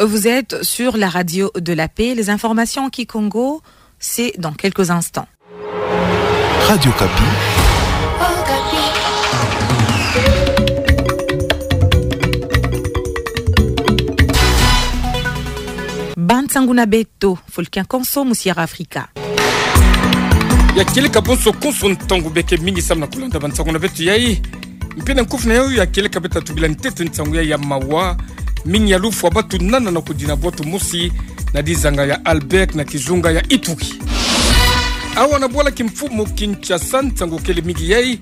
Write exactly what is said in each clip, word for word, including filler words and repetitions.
Vous êtes sur la radio de la paix. Les informations en kikongo, c'est dans quelques instants. Radio Okapi. Ba nsangu na beto, Fulkin Konso, Musiara Afrika. Ya kieleka bonso konso ntangu beke mingi samu na kulanda ba nsangu na beto yai. Mpe na nkufi na yau ya kieleka beta tubila ntete nsangu yai ya mawa. Mingi ya lufwa batu nana na kudina bwatu mosi na dizanga ya Albert na kizunga ya Ituri. Awa na bwala kimfumu Kinshasa nsangu kele mingi yai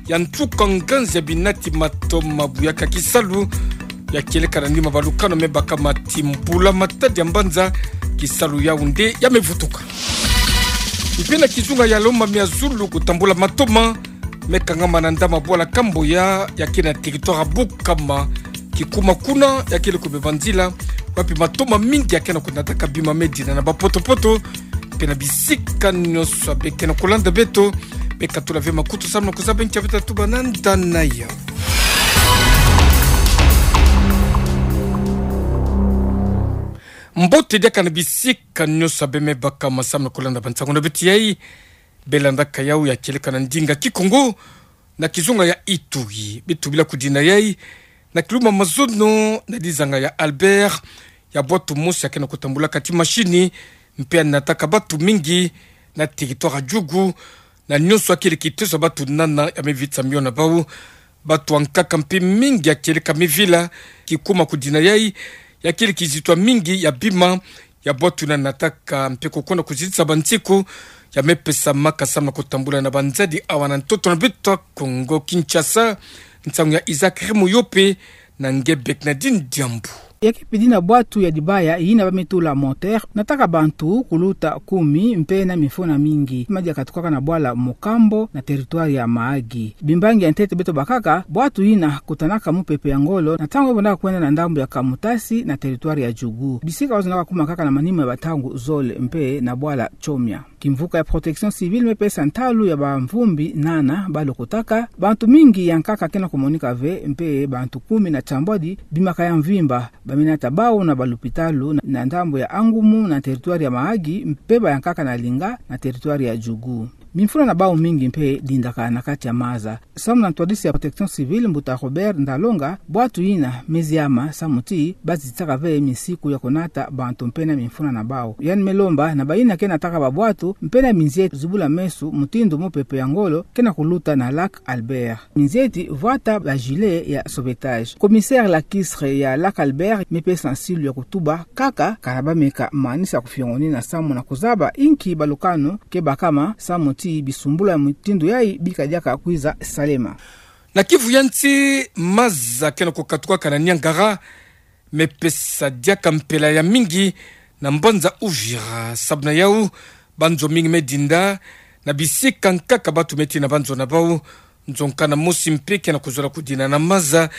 ya ntuka nganzi ya binati matoma buyaka kisalu ya kieleka na nima balukano me bakama ti mbula matadi ya mbanza kisalu yau nde ya me vutuka. Mpe na kizunga ya Lomami ya zulu kutambula matoma me kangama na ndama bwala Kamboya ya ke na territoire Bukama kikuma kuna ya kele kubeba nzila wapi matoma mingi ya ke na kunataka bima me dina na bapotopoto. Mpe na bisika nyonso ya beke na kulanda beto, beka tula ve makutu samu na kuzaba nkia beta tubana ndani ya. Mbote diaka na bisika nyonso ya be me bakama samu na kulanda ba nsangu na beto yai. Be landaka yau ya kieleka na ndinga kikongo na kizunga ya Ituri. Beto bila kudina yai na kiluma mazono na dizanga ya Albert ya bwatu mosi ya ke na kutambulaka ti mashini mpe ya nataka batu mingi na territoire ya Djugu, na nyonso ya kele kitezo ya batu nana ya me vitisa mio na bau. Batu ya nkaka mpe mingi ya kieleka me vila kikuma kudina yai ya kele kizito ya mingi ya bima ya bwatu yina nataka mpe kukwenda kuzitisa ba nsiku ya me pesa maka samu na kutambula na banzadi awa na ntoto na beto ya Kongo Kinshasa. Nsangu ya Isaac Remoyope na nge Bernardine Diambu. Ya ke pidi na bwatu ya dibaya yina ba me tula moteur, nataka bantu kuluta kumi mpe na mifuna mingi. Madi ya katukaka na bwala Mokambo na territoire ya Mahagi. Bimbangi ya ntete beto bakaka, bwatu yina kutanaka mupepe ya ngolo na ntangu yo bondaka kwenda na ndambu ya Kamutasi na territoire ya Djugu. Bisika bazonaka kuma kaka na manima ya bantangu zole mpe na bwala Chomia. Kimvuka ya Protection Civile me pesa ntalu ya bamvumbi nana ba lokotaka, bantu mingi ya nkaka ke na kumonika ve, mpe bantu kumi na tiambwadi bimaka ya mvimba, ba me nata bau na balupitalu na, na ndambu ya Angumu na territoire ya Mahagi, mpe ba ya nkaka na Linga na territoire ya Djugu. Mifuna na bau mingi mpe dindaka na kati ya maza. Samu na ntwadisi ya Protection Civile, Mbuta Robert Ndalonga, bwatu yina me ziama samu ti ba zitisaka ve misiku ya kunata bantu mpe na mifuna na bau. Yandi me lomba na bayina ke nataka babwatu mpe na minzieti zibula meso mutindu mupepe ya ngolo ke na kuluta na lac Albert. Minzieti vwata ba gilet ya sauvetage. Commissaire Lakisre ya lac Albert me pesa nsilu ya kutuba kaka kana ba meka manisa kufiongonina samu na kuzaba inki balukanu ke bakama samu ti bisumbulu ya mutindu yai bika diaka kwiza salema. Na Kivu ya nsi, maza ke na kukatukaka na Niangara me pesa diaka mpela ya mingi na mbanza Uvira. Samu na yau, banzo mingi me dinda na bisika nkaka batu me tina banzo na bau. Nzo nkana mosi mpe ke na kuzola kudina na maza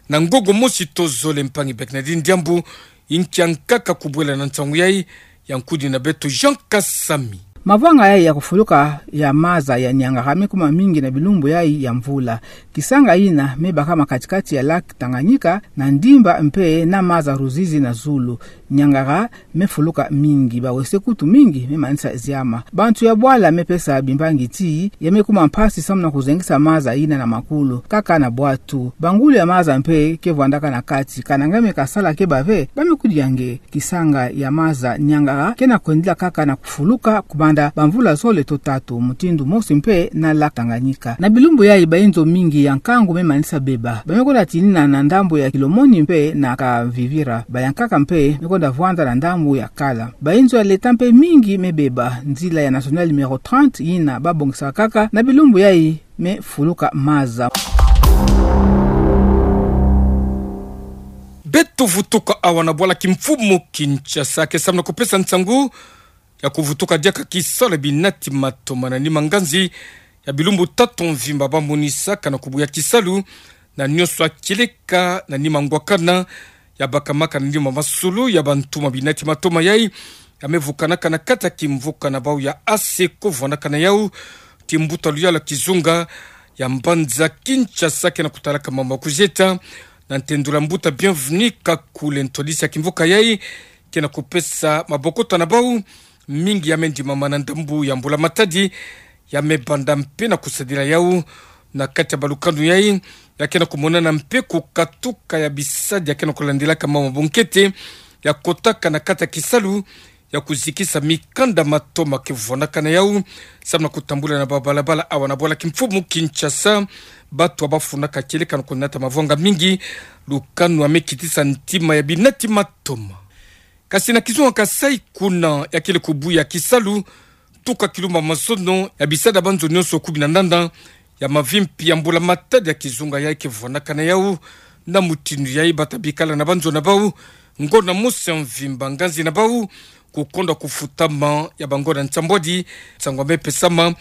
na ngongo mosi to zole. Mpangi Bernardine Diambu, inki ya nkaka kubwela na nsangu yai, ya nkudi na beto Jean Kasami. Mavanga yai ya kufuluka ya maza ya Niangara me kuma mingi na bilumbu yai ya mvula. Kisanga yina me bakama kati-kati ya lac Tanganyika na ndimba mpe na maza Ruzizi na zulu. Niangara me fuluka mingi, bawese kutu mingi me manisa ziama. Bantu ya bwala me pesa bimbangi ti ya me kuma mpasi samu na kuzengisa maza yina na makulu, kaka na bwatu. Bangulu ya maza mpe ke vwandaka na kati, kana nge me kasala keba ve, ba me kudi ya nge. Kisanga ya maza Niangara ke na kwendila kaka na kufuluka kubanda bamvula zole to tatu, mutindu mosi mpe na lac Tanganyika. Na bilumbu yai, bayinzo mingi ya nkangu me manisa beba. Ba me kwenda tinina na ndambu ya Kilomoni mpe na Kavivira. Ba ya nkaka mpe me kwenda vwanda na ndambu ya Kala. Bayinzo ya leta mpe mingi me beba. Nzila ya nationale numéro trente yina ba bongisa kaka na bilumbu yai me fuluka maza. Beto vutuka awa na bwala kimfumu Kinshasa ke samu na kupesa nsangu ya kuvutuka diaka kisalu ya binati matoma na nima nganzi ya bilumbu tatu mvimba ba monisaka na kubuya kisalu na nyonso ya kieleka na nima ngwakana ya bakamaka na nima masolo ya bantu ma binati matoma yai ya me vukanaka na kati ya kimvuka na bau ya Aseko, vwandaka na yau ti mbuta luyalu ya kizunga ya mbanza Kinshasa ke na kutalaka mambu ya kuzieta Na ntendula mbuta Bienvenu Kakule, ntwadisi ya kimvuka yai, ke na kupesa mabokota na bau mingi ya me ndimama na ndambu ya mbula matadi, ya me banda mpe na kusadila yau na kati ya balukanu yai, ya ke na kumonana mpe kukatuka ya bisadi ya ke na kulandilaka mama bunkete, ya kotaka na kati ya kisalu, ya kuzikisa mikanda matoma ke vwanakana yau, samu na kutambula na babalabala awa na bwala kimfumu Kinshasa, batu bafunaka kieleka na kunata mavwanga mingi, lukanu ya me kitisa ntima ya binati matoma. Kasi na kizunga Kasai kuna ya kele kubuya kisalu, tuka kilumbu ya mazono ya bisadi ya banzo nyonso kumi na nana ya mavimpi ya mbula matadi ya kizunga yai ke vwanakana yau, na mutindu yai bata bikala na banzo na bau, ngonda mosi ya mvimba, nganzi na bau kukonda kufutama ya bangonda nsambwadi, nsangu ya me pesama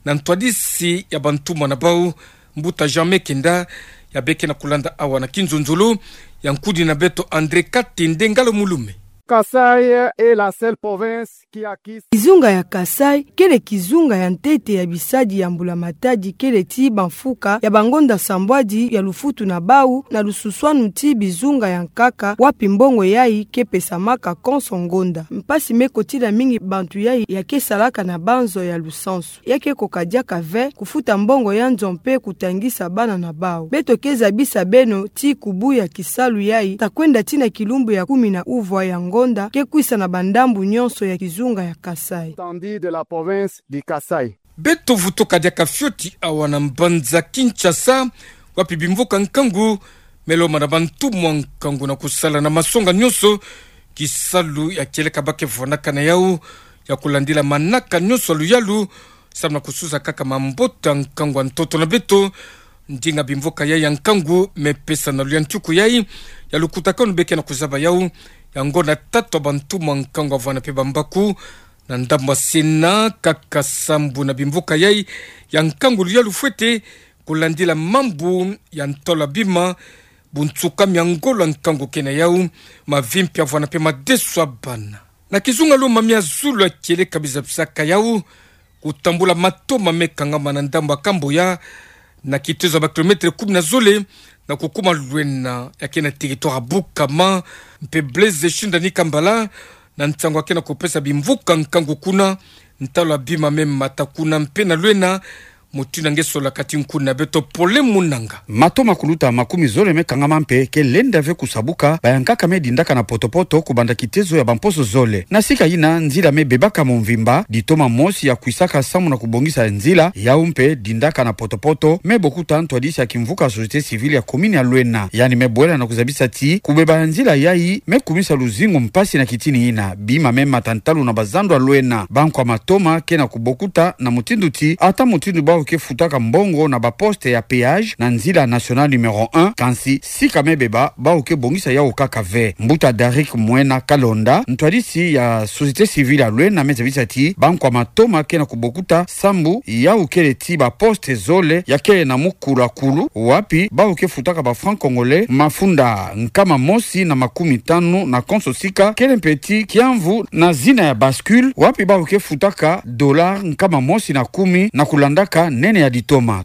na ntwadisi ya bantumwa na bau, mbuta Jean Mekenda, ya be ke na kulanda awa na kinzonzolo, ya nkudi na beto André Katende Ngalo Mulume. Kasai est la seule province qui acquiert. Kizunga ya Kasai kele kizunga ya ntete ya bisadi ya mbula matadi, kele ti bamfuka ya bangonda nsambwadi ya lufutu na bau na lususwanu ti bizunga ya nkaka, wapi mbongo yai ke pesamaka konso ngonda. Mpasi me kotila mingi bantu yai ya ke salaka na banzo ya lusansu. Ya ke koka diaka ve kufuta mbongo ya nzo mpe kutangisa bana na bau. Beto ke zabisa beno ti kubuya kisalu yai ta kwenda tii na kilumbu ya kumi na uvwa ya ngonda ke kwisa na bandambu nyonso ya kizunga ya Kasai. Étendue de la province du Kasaï. Beto vutuka diaka fioti awa na mbanza Kinshasa, wapi bimvuka nkangu me lomba na bantumwa nkangu na kusala na masonga nyonso kisalu ya kieleka ba ke vwanakana yau, ya kulandila manaka nyonso ya luyalu, samu na kusuza kaka mambota nkangu ya ntoto na beto. Ndinga bimvuka yai ya nkangu me pesa na luyantiku yai ya lukutakanu be ke na kuzaba yau, ya ngonda tatu ya bantumwa nkangu ya vwanda mpe bambaku na ndambu ya sena, kaka sambu na bimvuka yai ya nkangu luyalu fwete kulandila mambu ya ntalu ya bima, bunsukami ya ngolo ya nkangu ke na yau, mavimpi ya vwanda mpe madeso ya bana. Na kizunga lo mamia zulu ya kieleka bizabisaka yau kutambula matoma me kangama na ndambu ya Kamboya, na kitezo ya ba kilomètre kumi na zole, na kukuma Luena, ya ke na territoire ya Bukama, mpe Blaise Shindani Kambala, na nsangu ya ke na kupesa bimvuka nkangu kuna, ntalu ya bima me mata kuna mpe na Luena, mutindu nge sola kati nkuni na beto Pole Munanga. Matoma kuluta makumi zole me kangama mpe ke lenda ve kusabuka, bayankaka me dindaka na potopoto kubanda kitezo ya bamposo zole. Na sika yina nzila me bebaka mu mvimba, ditoma mosi ya kwisaka samu na kubongisa nzila yau mpe dindaka na potopoto, me bokuta ntwadisi ya kimvuka société civile ya commune ya Luena. Yandi me bwela na kuzabisa ti kubeba ya nzila yai me kumisa luzingu mpasi na kitini yina. Bima me mata ntalu na bazandu ya Luena. Bankwa matoma ke na kubokuta na mutindu ti, ata mutindu bau ke futaka mbongo na ba poste ya péage na nzila nationale numéro un, kansi sika me beba bau ke bongisa yau kaka ve. Mbuta Darik Mwena Kalonda, ntwadisi ya société civile ya Luena, me zabisa ti bankwa matoma ke na kubokuta sambu yau kele ti ba poste zole ya kele na mukulu ya kulu, wapi bau ke futaka ba francs congolais mafunda nkama mosi na makumi tanu na konso sika, kele mpe ti kiamvu na zina ya bascule, wapi bau ke futaka dollar nkama mosi na kumi na kulandaka nene ya ditoma.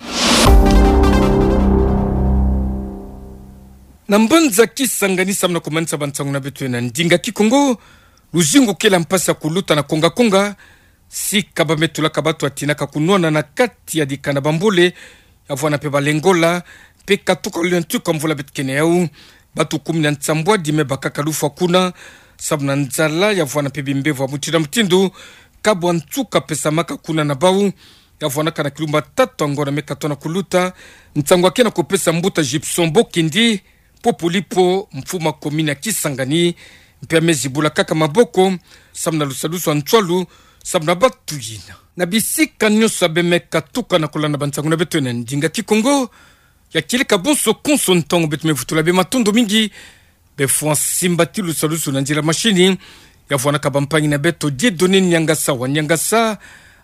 Na mbanza Kisangani, samu na kumanisa bansangu na beto na ndinga Kikongo, luzingu kele mpasi ya kuluta na konga-konga, sika ba me tulaka bato ya tinaka kunwana na kati ya dikanda, bambole, ya vwanda mpe balengola, mpe katuka luyantiku ya mvula beto ke na yau, bato kumi na nsambwadi me bakaka lufwa kuna, samu na nzala, ya vwanda mpe bimbevo ya mutindu na mutindu, kabwa nsuka pesamaka kuna na bau, ya vwandaka na kilumbu ya tatu ya ngonda me katono kuluta, nsangu ya ke na kupesa mbuta Gibson Bokindi, Popolipo, mfumu ya commune ya Kisangani, mpe ya me zibula kaka maboko, samu na lusadusu ya nswalu, samu na bato yina. Na bisika nyonso ya be me katuka na kulanda bansangu na beto na ndinga Kikongo, ya kieleka bonso konso ntangu beto me vutula be matondo mingi, be fwa simbati lusadusu na nzila mashini, ya vwandaka bampangi na beto Dieudonné Niangasa wa Niangasa,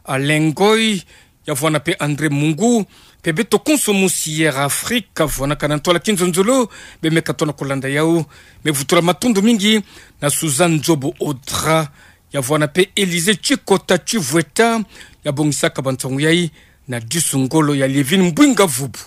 Alain Ngoy, ya vwanda mpe André Mungu, mpe beto konso mu Sierra Africa, vwandaka na ntwala kinzonzolo, be me katono kulanda yau, me vutula matondo mingi na Suzanne Nzobo Audra, ya vwanda mpe Élysée Chikota Chivweta, ya bongisaka bansangu yai, na disu ngolo ya Lievine Mbwinga Vubu.